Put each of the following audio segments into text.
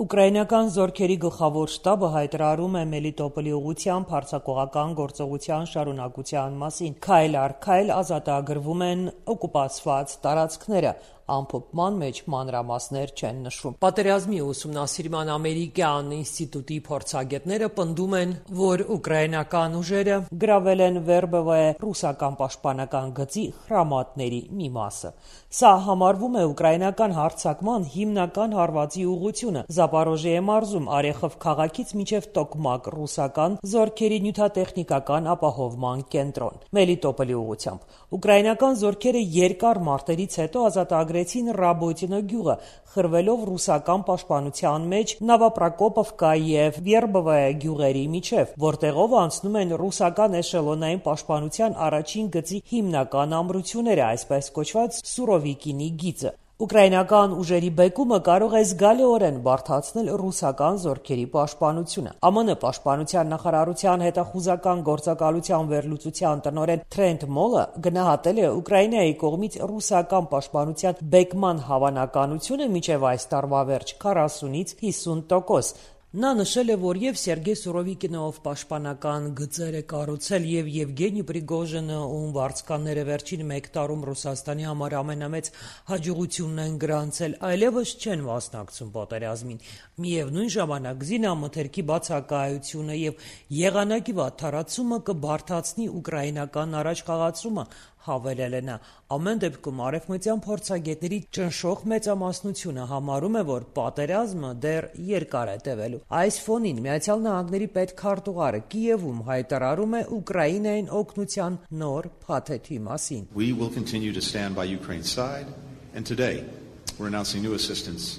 Ուկրաինական զորքերի գլխավոր շտաբը հայտարարում է Մելիտոպոլի ուղղությամբ հարձակողական գործողության շարունակության մասին։ Քայլ առ քայլ ազատագրվում են օկուպացված տարածքները, ամփոփման մեջ մանրամասներ չեն նշվում։ Պատերազմի ուսումնասիրման ամերիկյան ինստիտուտի փորձագետները պնդում են, որ ուկրաինական ուժերը գրավել են Վերբովոյե ռուսական պաշտպանական գծի խրամատների մի մասը։ Սա համարվում է ուկրաինական հարձակման հիմնական հարվածի ուղղությունը։ Զապորոժիե մարզում Արեխով քաղաքից մինչև Տոկմակ ռուսական զորքերի նյութատեխնիկական ապահովման կենտրոն։ Մելիտոպոլի ուղղությամբ ուկրաինական զորքերը երկար մարտերից հետո ազատագրեցին Ռաբոտինո գյուղը, խրվելով ռուսական պաշտպանության մեջ Նովոպրոկոպովկա եւ Վերբովոյե գյուղերի միջև, որտեղով անցնում են ռուսական էշելոնային պաշտպանության առաջին գծի հիմնական ամրությունները, այսպես կոչված Սուրովիկինի գիծը։ Ուկրաինական ուժերի բեկումը կարող է զգալիորեն բարդացնել ռուսական զորքերի պաշտպանությունը։ ԱՄՆ պաշտպանության նախարարության հետախուզական գործակալության վերլուծության տնօրեն Թրենտ Մոլը գնահատել է Ուկրաինայի կողմից ռուսական պաշտպանության բեկման հավանականությունը մինչև այս տարվա վերջ 40-ից 50%։ Նա նշել է, որ եւ Սերգեյ Սուրովիկինով պաշտպանական գծեր է կառուցել եւ Եվգենի Պրիգոժինը, ում վարձկանները վերջին մեկ տարում Ռուսաստանի համար ամենամեծ հաջողությունն են գրանցել, այլևս չեն մասնակցում պատերազմին։ Միևնույն ժամանակ զինամթերքի բացակայությունը եւ եղանակի վատթարացումը կբարդացնի ուկրաինական առաջխաղացումը, հավելել է նա։ Ամեն դեպքում արևմտյան փորձագետների ճնշող մեծամասնությունը համարում է, որ պատերազմը դեռ երկար է տևելու։ Այս ֆոնին Միացյալ Նահանգների պետքարտուղարը Կիևում հայտարարում է Ուկրաինային օգնության նոր փաթեթի մասին։ We will continue to stand by Ukraine's side, and today we're announcing new assistance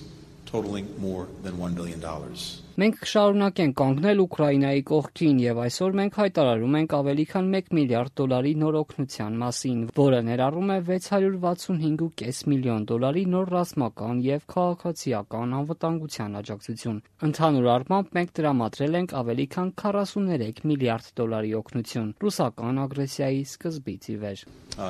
totaling more than $1 billion. Մենք կշարունակենք կանգնել Ուկրաինայի կողքին եւ այսօր մենք հայտարարում ենք ավելի քան $1 միլիարդ նոր օգնության մասին, որը ներառում է $665.5 միլիոն նոր ռազմական եւ քաղաքացիական անվտանգության աջակցություն։ Ընդհանուր առմամբ մենք տրամադրել ենք ավելի քան $43 միլիարդ օգնություն ռուսական ագրեսիայի սկզբից ի վեր։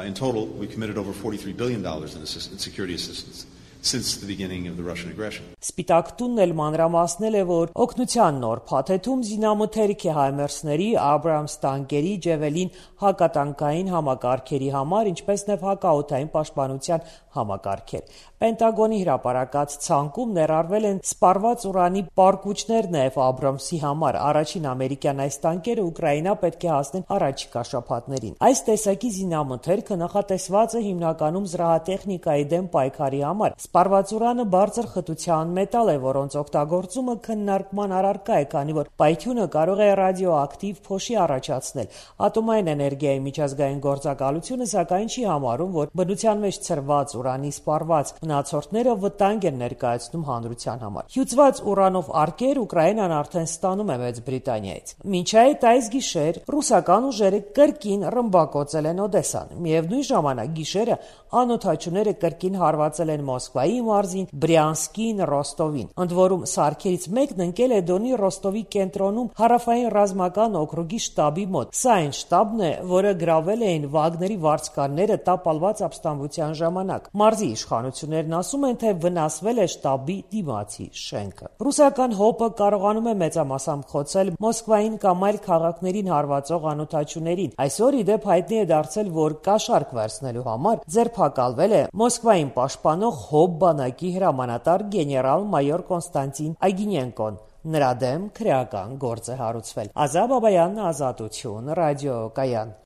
In total, we committed over $43 billion in security assistance since the beginning of the Russian aggression. Սպիտակ տունն էլ մանրամասնել է, որ օգնության նոր փաթեթում զինամթերք է Հայմերսների, Աբրամս տանկերի, Ջևելին հակատանկային համակարգերի համար, ինչպես նաև հակաօդային պաշտպանության համակարգեր։ Պենտագոնի հրապարակած ցանկում ներառվել են սպառված ուրանի պարկուճներ նաև Աբրամսի համար։ Առաջին ամերիկյան այս տանկերը Ուկրաինա պետք է հասնեն առաջիկա շաբաթներին։ Այս տեսակի զինամթերքը նախատեսված է հիմնականում զրահատեխնիկայի դեմ պայքարի համար։ Սպառված ուրանը բարձր խտության մետալ է, որոնց օգտագործումը քննարկման առարկա է, քանի որ պայթյունը կարող է ռադիոակտիվ փոշի առաջացնել։ Ատոմային էներգիայի միջազգային գործակալությունը սակայն չի համարում, որ բնության մեջ ցրված ուրանի սպառված մնացորդները վտանգ են ներկայացնում հանրության համար։ Հյուծված ուրանով արկեր Ուկրաինան արդեն ստանում է Մեծ Բրիտանիայից։ Մինչ այդ այս գիշեր ռուսական ուժերը կրկին ռմբակոծել են Օդեսան։ Միևնույն ժամանակ գիշերը անօդաչուները կրկին հարվածել են Մոսկվայի մարզին, Բրյանսկին, Ռոստովին։ Ընդ որում սարքերից մեկն ընկել է Դոնի Ռոստովի կենտրոնում հարավային ռազմական օկրուգի շտաբի մոտ։ Սա այն շտաբն է, որը գրավել էին Վագների վարձկանները տապալված ապստամբության ժամանակ։ Մարզի իշխանություններն ասում են, թե վնասվել է շտաբի դիմացի շենքը։ Ռուսական ՀՕՊ-ը կարողանում է մեծամասամբ խոցել Մոսկվային կամ այլ քաղաքներին հարվածող անօդաչուներին։ Այսօր ի դեպ հայտնի է դարձել, որ կաշառք վերցնելու համար ձերբակալվել է Մոսկվային պաշտպանող ՀՕՊ բանակի հրամանատար գեներալ-մայոր Կոնստանտին Ագինենկոն։ Նրա դեմ քրեական գործ է հարուցվել։ Ազատ Բաբայան, Ազատություն, ռադիոկայան։